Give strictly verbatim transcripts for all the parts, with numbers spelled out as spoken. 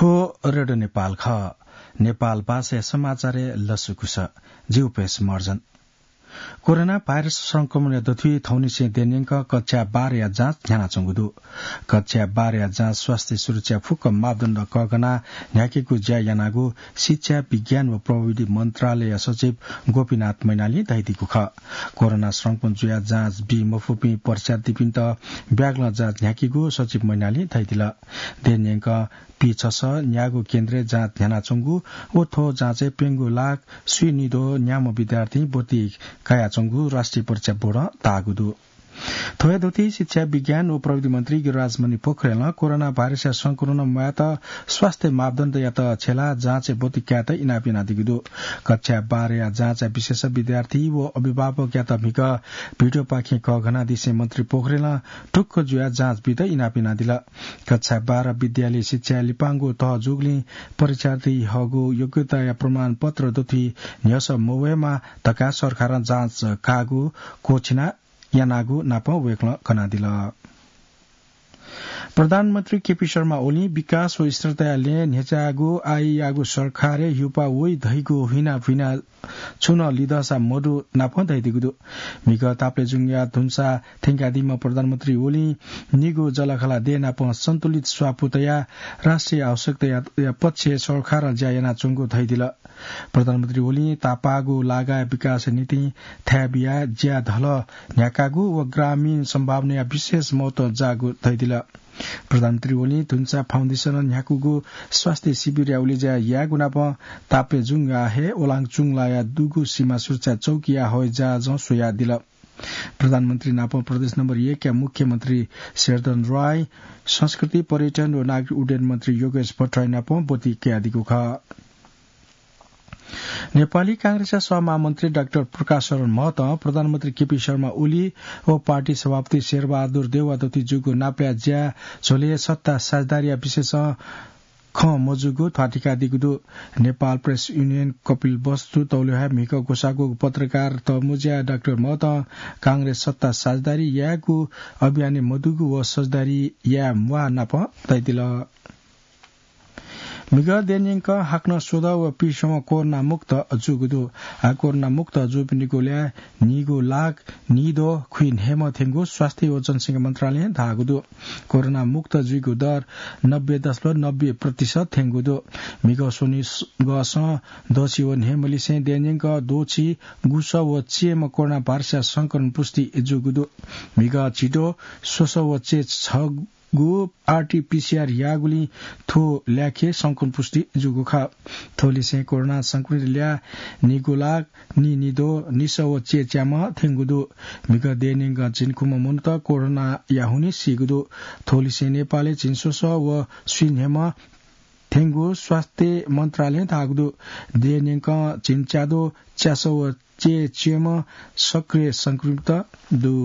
रेडियो नेपाल खः। नेपाल भाषाया समाचारय् लसकुस। जि उपेश महर्जन। कोरोना भाइरस संक्रमणया दथुइ थौंनिसें देय्‌न्यंक कक्षा बाह्रया जाँच न्ह्यानाच्वंगु दु। कक्षा बाह्रया जाँच स्वास्थ्य सुरक्षा फुक्क मापदण्ड कःघानाः न्ह्याकेगु ज्या यानागु शिक्षा, विज्ञान व प्रविधि मन्त्रालयया सचिव गोपीनाथ मैनालीं धयादीगु खः। कोरोना संक्रमण जुयाः जाँच बी मफुपिं परीक्षार्थीपिन्त ब्यागलं जाँच न्ह्याकेगु सचिव मैनालीं धयादिल। देय्‌न्यंक पीछसः न्यागू केन्द्रय् जाँच न्ह्यानाच्वंगु व थ्व जाँचय् प्यंगू लाख स्वीनिद्वः न्याम्ह विद्यार्थीं ब्वति कयाच्वंगु राष्ट्रिय परीक्षा बोर्डं धाःगु दु। थ्वया दथुइ शिक्षा, विज्ञान व प्रविधि मन्त्री गिरिराज मणि पोखरेलं कोरोना भाइरसया संक्रमण म्वायेत स्वास्थ्य मापदण्डयात छ्यलाः जाँचय् ब्वति कायेत इनाप यानादीगु दु। कक्षा बाह्रया जाँचया विशेष विद्यार्थी व अभिभावकयात म्हिगः भिडियोपाखें कःघानादिसें मन्त्री पोखरेलं ढुक्क जुयाः जाँच बीत इनाप यानादिल। कक्षा बाह्र विद्यालय शिक्षाया लिपांगु तह जूगुलिं परीक्षार्थी हःगु योग्यताया प्रमाणपत्र दथुइ न्ह्यसः मवयेमा धकाः सरकारं जाँच काःगु क्वःछिना यानागु नापं वय्‌कलं कनादिल। प्रधानमन्त्री केपी शर्मा ओलीं विकास व स्थिरताया लँय् न्ह्यचाःगु आःयागु सरकारय् हिउपाः वइ धइगु हुइना हुइना छुं नं लिधंसा मदु नापं धयादीगु दु। म्हिगः तापालेजुङया धुन्सा थ्यंकादीम्ह प्रधानमन्त्री ओलीं निगू जःलाखःला देय् नाप सन्तुलित स्वापू तयाः राष्ट्रिय आवश्यकताया पक्षय् सरकारं ज्या यानाच्वंगु धयादिल। प्रधानमन्त्री ओलीं तापाःगु लागाया विकासया निंतिं थाय् बियाः ज्याधलः न्ह्याकागु व ग्रामीण सम्भावनाया विशेष महत्व जाःगु धयादिल। प्रधानमन्त्री ओलीं धुन्सा फाउन्डेसनं न्ह्याकूगु स्वास्थ्य शिविरया उलेज्या यायेगु नाप तापालेजुङया हे ओलाङचुङलाया दुगु सीमा सुरक्षा चौकीया हवाईजहाजं स्वयादिल। प्रधानमन्त्री नाप प्रदेश नम्बर एकया मुख्यमन्त्री शेरधन राय, संस्कृति, पर्यटन व नागरिक उड्डयन मन्त्री योगेश भट्टराई नाप ब्वति कयादीगु खः। नेपाली कांग्रेसया सहमहामन्त्री डाक्टर प्रकाश शरण महतं प्रधानमन्त्री केपी शर्मा ओली व पार्टी सभापति शेरबहादुर देउवा दथुइ जूगु नापलाये ज्या झ्वलय् सत्ता साझेदारीया विषयसं खँ मजूगु ध्वाथुइकादीगु दु। नेपाल प्रेस युनियन कपिलवस्तु तौलेहाय् म्हिगः ग्वसाः ग्वःगु पत्रकार तःमुँज्याय् डाक्टर महतं कांग्रेस सत्ता साझेदारी यायेगु अभियानय् मदुगु व साझेदारी याये म्वाः नाप धयादिल। म्हिगः देय्‌न्यंक हाकनं स्वदँ व पीसम्ह कोरोना मुक्त जूगु दु। आः कोरोना मुक्त जूपिनिगु ल्याः नीगू लाख नीद्वः खुइन्हय्‌म्ह थ्यंगु स्वास्थ्य व जनसंख्या मन्त्रालयं धाःगु दु। कोरोना मुक्त जुइगु दर नब्बे दशमलव नब्बे प्रतिशत थ्यंगु दु। म्हिगः स्वनिगःसं द्वःछि व न्हय्‌म्हलिसें देय्‌न्यंक द्वःछि गुसः व चय्‌म्ह कोरोना भाइरसया संक्रमण पुष्टि जूगु दु। म्हिगः झिद्वः स्वसः व चय् छगू आरटीपीसीआर याःगुलिं थ्व ल्याखय् संक्रमण पुष्टि जूगु खः। थ्वलिसें कोरोना संक्रमित ल्याः नीगू लाख नीनिद्वः निसः व चय् च्याम्ह थ्यंगु दु। म्हिगः देय्‌न्यंक झिंखुम्ह मनूत कोरोनाया हुनिं सीगु दु। थ्वलिसें नेपालय् झिंस्वसः व स्वीन्हय्‌म्ह थ्यंगु स्वास्थ्य मन्त्रालयं धाःगु दु। देय्‌न्यंक झिंच्याद्वः च्यासः व चय् च्यम्ह सक्रिय संक्रमित दु।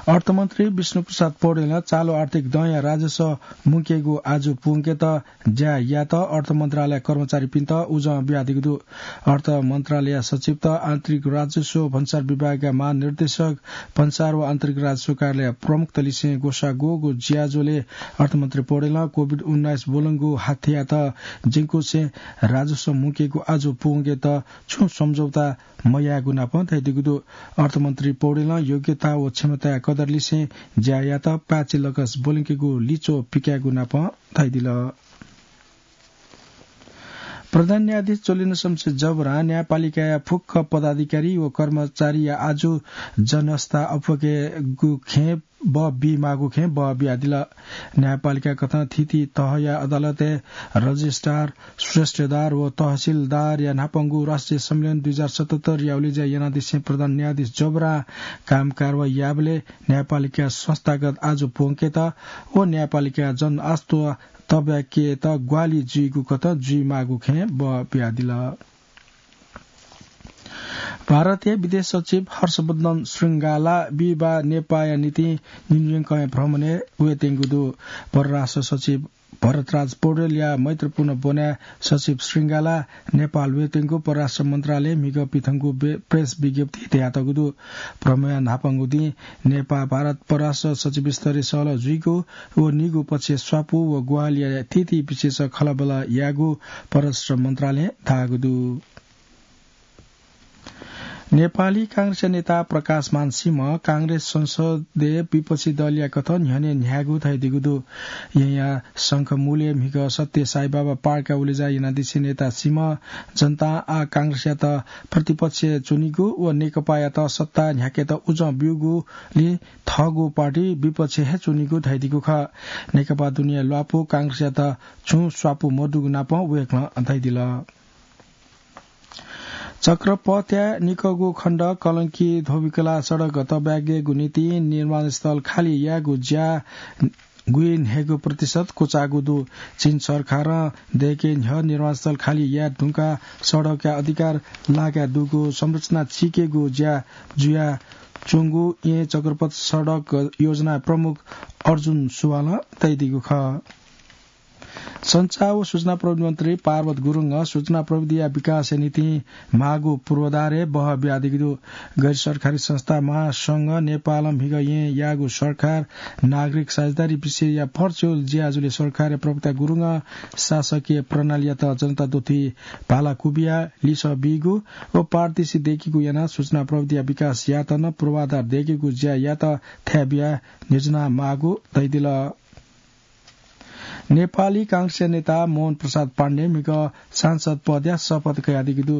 अर्थमन्त्री विष्णुप्रसाद पौडेलं चालु आर्थिक दँया राजस्व मुंकेगु आजु पूवंकेत ज्या यायेत अर्थ मन्त्रालय कर्मचारीपिन्त उजं बियादीगु दु। अर्थ मन्त्रालय सचिवत आन्तरिक राजस्व भन्सार विभागया महानिर्देशक भन्सार व आन्तरिक राजस्व कार्यालय प्रमुखतलिसें ग्वसाः ग्वःगु ज्याझ्वलय् अर्थमन्त्री पौडेलं कोभिड उन्नाइस ब्वलंगु हाथ्यात ज्यंकुसें राजस्व मुंकेगु आजु पूवंकेत छुं सम्झौता मयायेगु नाप धयादीगु दु। अर्थमन्त्री पौडेलं योग्यता व क्षमताया कदरलिसें ज्या यायेत पाय्‌छि लकस ब्वलंकेगु लिच्वः पिकायेगु नाप धयादिल। प्रधान न्यायाधीश जोलिन्द्र शमशेर जबरां न्यायपालिकाया फुक्क पदाधिकारी व कर्मचारीया आजु जनस्था अप्वयेगु खँय् बः बीमाःगु खँय् बः बियादिल। न्यायपालिका कथं थीथी तहया अदालतय् रजिस्ट्रार, श्रेष्ठदार व तहसिलदारया न्हापांगु राष्ट्रिय सम्मेलन दुई हजार सतहत्तर या उलेज्या यानादिसें प्रधान न्यायाधीश जबरां काम कारवाही याःबलय् न्यायपालिका संस्थागत आजु प्वंकेत व न्यायपालिका जनआस्था तब्याकेत ग्वाहालि जुइगु कथं जुइमाःगु खँय् बः बियादिल। भारतीय विदेश सचिव हर्षवर्धन श्रृंगाला बिहिबाः नेपाःया निंतिं न्यूयर्कय् भ्रमणय् वयेत्यंगु दु। परराष्ट्र सचिव भरतराज पौडेलया मैत्रीपूर्ण ब्वनाय् सचिव श्रृंगाला नेपाल वयेत्यंगु परराष्ट्र मन्त्रालयं म्हिगः पिथंगु बे-, प्रेस विज्ञप्तिइ धयातःगु दु। भ्रमणया न्हापांगु दिं नेपाः भारत परराष्ट्र सचिव स्तरीय सहलह जुइगु व निगू पक्षय् स्वापू व ग्वाहालिया थीथी विषयय् खँल्हाबल्हा यायेगु परराष्ट्र मन्त्रालयं धाःगु दु। नेपाली कांग्रेसया नेता प्रकाशमान सिंह कांग्रेस संसदय् विपक्षी दलया कथं न्ह्यःने न्ह्यायेगु धयादीगु दु। येँया शंखमूलय् म्हिगः सत्य साईबाबा पार्कय् उलेज्या यानादिसें नेता सिंहं जनतां आः कांग्रेसयात प्रतिपक्षय् च्वनीगु व नेकपायात सत्ता न्ह्याकेत उजं ब्यूगुलिं थःगु पार्टी विपक्षय् हे च्वनीगु धयादीगु खः। नेकपा दुनेया ल्वापु कांग्रेसयात छुं स्वापू मदुगु नापं वय्कलं धयादिल। चक्रपथया निकःगु खण्ड कलंकी धोबिकला सडक तःब्यागेगु निंतिं निर्माणस्थल खाली यायेगु ज्या गुइन्हय्गू प्रतिशत क्वचाःगु दु। चीन सरकारं दय्के न्ह्यः निर्माणस्थल खाली याये धुंकाः सडकया अधिकार लागाय् दुगु संरचना चीकेगु ज्या जुयाच्वंगु येँ चक्रपथ सडक योजना प्रमुख अर्जुन सुवालं धयादीगु खः। सञ्चार व सूचना प्रविधि मन्त्री पार्वत गुरुङं सूचना प्रविधिया विकासया निंतिं माःगु पूर्वाधारय् बहः बियादीगु दु। गैर सरकारी संस्था महासंघ नेपालं म्हिगः येँ याःगु सरकार नागरिक साझेदारी विषयया भर्चुअल ज्याझ्वलय् सरकारया प्रवक्ता गुरुङं शासकीय प्रणालीयात जनता दथुइ भाला क्वबिया लिसः बीगु व पारदर्शी दय्केगु यानाः सूचना प्रविधिया विकास यायेत नं पूर्वाधार दय्केगु ज्या यायेत थाय् बियाः न्ह्यज्याना माःगु धयादिल। नेपाली कांग्रेसया नेता मोहन प्रसाद पाण्डें म्हिगः सांसद पदया शपथ कयादीगु दु।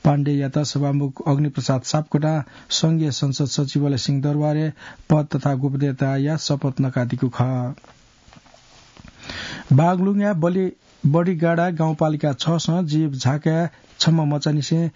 पाण्डेयात सभामुख अग्निप्रसाद सापकोटां संघीय संसद सचिवालय सिंहदरबारय् पद तथा गोपनीयताया शपथ नकादीगु खः। बागलुङया बलि-, बडिगाडा गाउँपालिका छसं जीप झाकाय् छम्ह मचांनिसें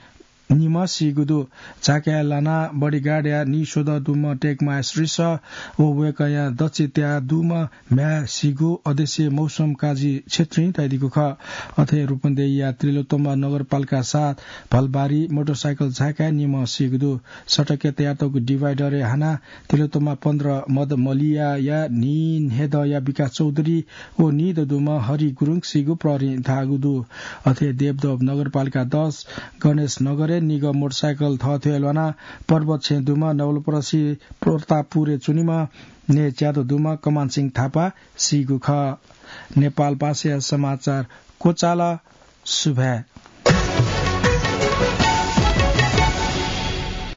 निम्ह सीगु दु। झाकाय् लानाः बडिगाडया नीस्वदँ दुम्ह टेकमाया श्रीसः व वय्कःया दच्छि त्याः दुम्ह म्ह्याय् सीगु अध्यक्ष मौसम काजी छेत्रीं धयादीगु खः। अथे रूपन्देहीया तिलोत्तमा नगरपालिका सात भलबारी मोटरसाइकल झाकाय् निम्ह सीगु दु। सडकय् तयातःगु डिभाइडरय् हानाः तिलोत्तमा पन्ध्र मदमलियाया नीन्हेदँया विकास चौधरी व नीदँ दुम्ह हरि गुरुङ सीगु प्रहरीं धाःगु दु। अथे देवदह नगरपालिका दस गणेश नगरय् निगः मोटरसाइकल थःथें ल्वानाः पर्वत छेँ दुम्ह नवलपरासी प्रतापपुरय् च्वनीम्ह नये च्यादँ दुम्ह कमान सिंह थापा सीगु खः। नेपाल भाषाया समाचार क्वचाल। सुभाय्।